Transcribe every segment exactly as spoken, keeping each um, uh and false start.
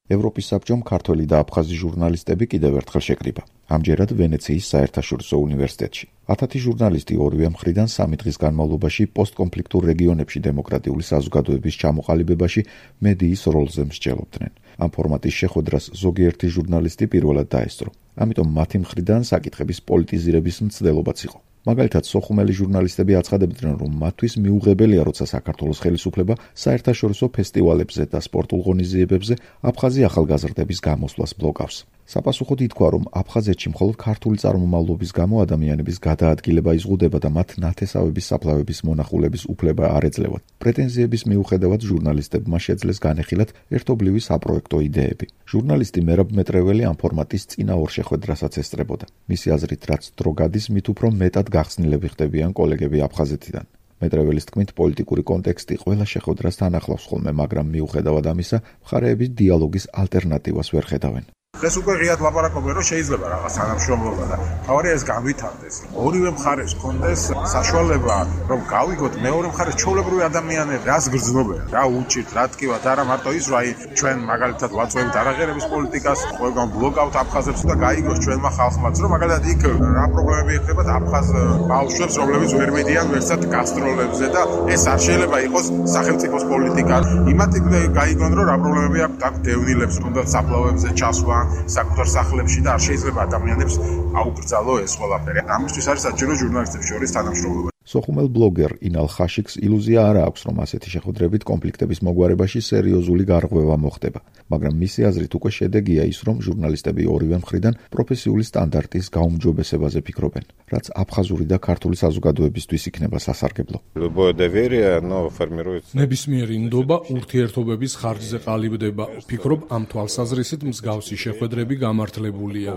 ევროპის საბჭომ ქართველი და აფხაზი ჟურნალისტები კიდევ ერთხელ შეკრიბა. ამჯერად ვენეციის საერთაშორისო უნივერსიტეტში. ათათი ჟურნალისტი ორივე მხრიდან სამი დღის განმავლობაში პოსტკონფლიქტურ რეგიონებში დემოკრატიული საზოგადოების ჩამოყალიბებაში მედიის როლზე მსჯელობდნენ. ამ ფორმატის შეხვედრას ზოგიერთი ჟურნალისტი პირველად დაესწრო. ამიტომ მათი მხრიდან საკითხების პოლიტიზირების მცდელობაც იყო. მაგალითად, სოხუმელი ჟურნალისტები აცხადებდნენ, რომ მათთვის მიუღებელია, როცა საქართველოს ხელისუფლება საერთაშორისო ფესტივალებზე და სპორტულ ღონისძიებებზე აფხაზი ახალგაზრდების გამოსვლას ბლოკავს. საპასუხოდ ითქვა, რომ აფხაზეთში მხოლოდ ქართული წარმომავლობის გამო ადამიანების გადაადგილება იზღუდება და მათ ნათესავების საფლავების მონახულების უფლება არ ეძლევათ. პრეტენზიების მიუხედავად ჟურნალისტებმა შეძლეს განეხილათ ერთობლივი საპროექტო იდეები. ჟურნალისტი მერაბ მეტრეველი ამ ფორმატის წინა ორ შეხვედრასაც ესწრებოდა. მისი აზრით, რაც დრო გადის, მით უფრო მეტად გახსნილები ხდებიან კოლეგები აფხაზეთიდან. მეტრეველის თქმით, პოლიტიკური კონტექსტი ყველა შეხვედრას თან ახლავს ხოლმე, მაგრამ მიუხედავად ამისა, მხარეები დიალოგის ალტერნატივას ვერ ხედავენ. ეს უკვე ღიად ლაპარაკობენ, რომ შეიძლება რაღაც თანამშრომლობა და თავარია ეს განვითარდეს. ორივე მხარეს კონდეს საშუალება, რომ გავიგოთ მეორე მხარეს ჩვეულებრივი ადამიანები რას გრძნობენ, რა უჭირთ, რა ტკივათ, არა მარტო ის, რომ აი ჩვენ მაგალითად ვაწვევთ არაღერების პოლიტიკას, ყველგან ბლოკავთ აფხაზებს და გაიგოს ჩვენმა ხალხმაც, რომ მაგალითად იქ რა პრობლემები ექნებათ აფხაზ ბავშვებს, რომლებიც ვერ მედიან ვერსად გასტროლებზე და ეს არ შეიძლება იყოს სახელმწიფოს პოლიტიკა. იმათი გაიგონ, რომ რა პრობლემები აქვს აქ დევნილებს, თუნდაც საფლავებზე ჩასვლა საკუთარ სახლებში და არ შეიძლება ადამიანებს აუკრძალო ეს ყველაფერი. ამისთვის არის საჭირო ჟურნალისტების შორის თანამშრომლობა. სოხუმელ ბლოგერ ინალ ხაშიკს ილუზია არ აქვს, რომ ასეთი შეხვედრებით კონფლიქტების მოგვარებაში სერიოზული გარღვევა მოხდება, მაგრამ მისი აზრით უკვე შედეგია ის, რომ ჟურნალისტები ორივე მხრიდან პროფესიული სტანდარტის გაუმჯობესებაზე ფიქრობენ, რაც აფხაზური და ქართული საზოგადოებისთვის იქნება სასარგებლო. ნებისმიერი ნდობა ურთიერთობების ხარჯზე ყალიბდება. ვფიქრობ, ამ თვალსაზრისით მსგავსი შეხვედრები გამართლებულია.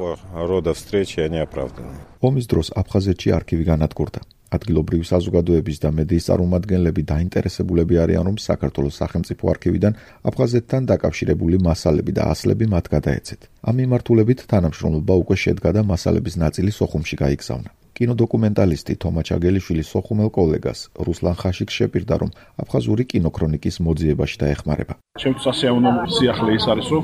ომის დროს აფხაზეთში არქივი განადგურდა. ადგილობრივი საზოგადოების და მედიის წარმომადგენლები დაინტერესებულები არიან, რომ საქართველოს სახელმწიფო არქივიდან აფხაზეთთან დაკავშირებული მასალები და ასლები მათ გადაეცეთ. ამ მიმართულებით თანამშრომლობა უკვე შედგა და მასალების ნაწილი სოხუმში გაიგზავნა. კინოდოკუმენტალისტი თომა ჩაგელიშვილი სოხუმელ კოლეგას რუსლან ხაშიკს შეპირდა, რომ აფხაზური კინოქრონიკის მოძიებაში დაეხმარება. ჩემთვის ასეავნო სიახლე ის არის, რომ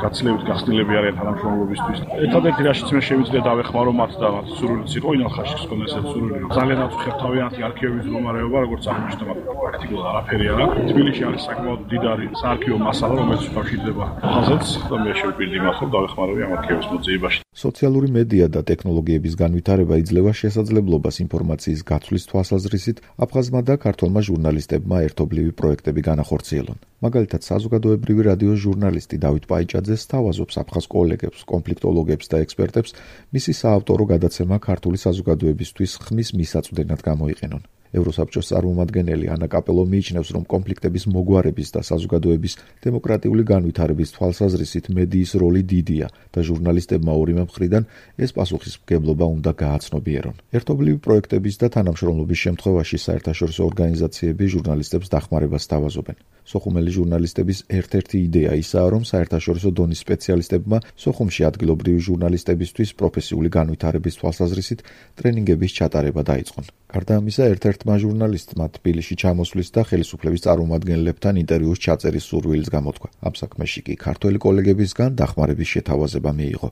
გაცილებით გახსნილები არიან თანამშრომლობისთვის. ერთადერთი რაშიც მე შევიძლია დავეხმარო მათ და მათ სურვილიც იყო ინალ ხაშიკს ქონდა ესეთი სურვილი. ძალიან აწუხებთავიანთი არქივების მდგომარეობა, როგორც აღმოჩნდა, პრაქტიკულად არაფერი არა. თბილისში არის საკმაოდ მდიდარი საარქივო მასალა, რომელიც უკავშირდება აფხაზეთს და მე შევპირდი მას, რომ დავეხმარები ამ არქივების მოძიებაში. სოციალური მედია და ტექნოლოგიების განვითარება იძლევა შესაძლებლობას ინფორმაციის გაცვლის თვალსაზრისით აფხაზმა და ქართველმა ჟურნალისტებმა ერთობლივი პროექტები განახორციელონ. მაგალითად, საზოგადოებრივი რადიოს ჟურნალისტი დავით პაიჭაძე სთავაზობს აფხაზ კოლეგებს, კონფლიქტოლოგებს და ექსპერტებს მისი საავტორო გადაცემა ქართული საზოგადოებისთვის ხმის მისაწვდენად გამოიყენონ. ევროსაბჭოს წარმომადგენელი ანა კაპელო მიიჩნევს, რომ კონფლიქტების მოგვარების და საზოგადოების დემოკრატიული განვითარების თვალსაზრისით მედიის როლი დიდია და ჟურნალისტებმა ორივე მხრიდან ეს პასუხისმგებლობა უნდა გააცნობიერონ. ერთობლივი პროექტების და თანამშრომლობის შემთხვევაში საერთაშორისო ორგანიზაციები ჟურნალისტებს დახმარებას სთავაზობენ. სოხუმელი ჟურნალისტების ერთ-ერთი იდეა ისაა, რომ საერთაშორისო დონის სპეციალისტებმა სოხუმში ადგილობრივი ჟურნალისტებისთვის პროფესიული განვითარების თვალსაზრისით ტრენინგების ჩატარება დაიწყონ. გარდა ამისა, ერთ-ერთმა ჟურნალისტმა თბილისში ჩამოსვლის და ხელისუფლების წარმომადგენლებთან ინტერვიუს ჩაწერის სურვილიც გამოთქვა. ამ საქმეში კი ქართველი კოლეგებისგან დახმარების შეთავაზება მიიღო.